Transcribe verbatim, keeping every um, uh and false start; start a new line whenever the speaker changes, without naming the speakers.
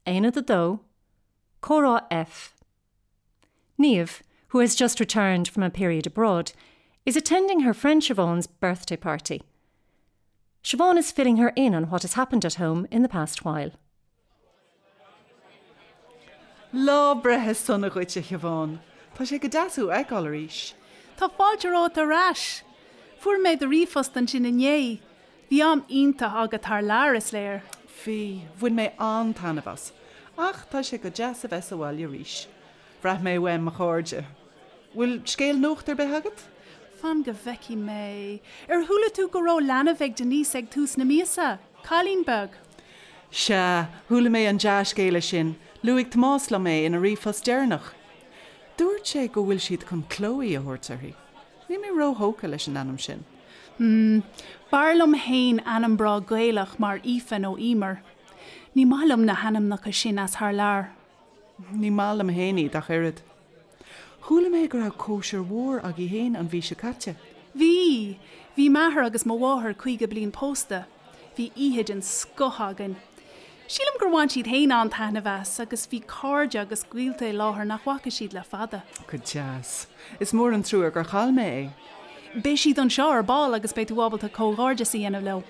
Aonad a dó, Comhrá F. Niamh, who has just returned from a period abroad, is attending her friend Siobhan's birthday party. Siobhan is filling her in on what has happened at home in the past while.
Lá breithe sona dhuit a Shiobhán, Tá sé go deas thú a fheiceáil arís.
Tá fáilte romhat ar ais. Fuair mé do ríomhphost ansin inné. Bhí am iontach agat thar lear is léir.
Bhí bhain mé an-taitneamh as, ach tá sé go deas a bheith sa bhaile arís. Bhraith mé uaim mo chairde. Bhfuil scéal nuachta ar bith agat?
Fan go bhfeicfidh mé. Ar chuala tú go raibh leanbh ag Denise ag tús na míosa, Cailín beag.
Sea, chuala mé an dea-scéala sin, luaigh Tomás liom é ina ríomhphost deireanach. Dúirt sé go bhfuil siad chun Chloe a thabhairt uirthi. Níl mé róthógtha leis an ainm sin.
Hmm, B'fhearr liom féin ainm breá Gaelach mar Aoife nó Emer. Ní maith liom na hainmneacha sin as thar lear.
Ní maith liom féin iad ach oiread. Chuala mé go raibh cóisir mhór agaibh féin an mhí seo caite.
Bhí, bhí m'athair agus mo mháthair caoga bliain pósta, bhí oíche den scoth againn. Sílim gur bhain siad féin an-taitneamh as agus bhí cairde agus gaolta i láthair nach bhfaca siad le fada.
Go deas. Is mór an trua gur chaill mé é.
Beidh siad anseo ar ball agus beidh tú ábalta comhghairdeas a dhéanamh leo.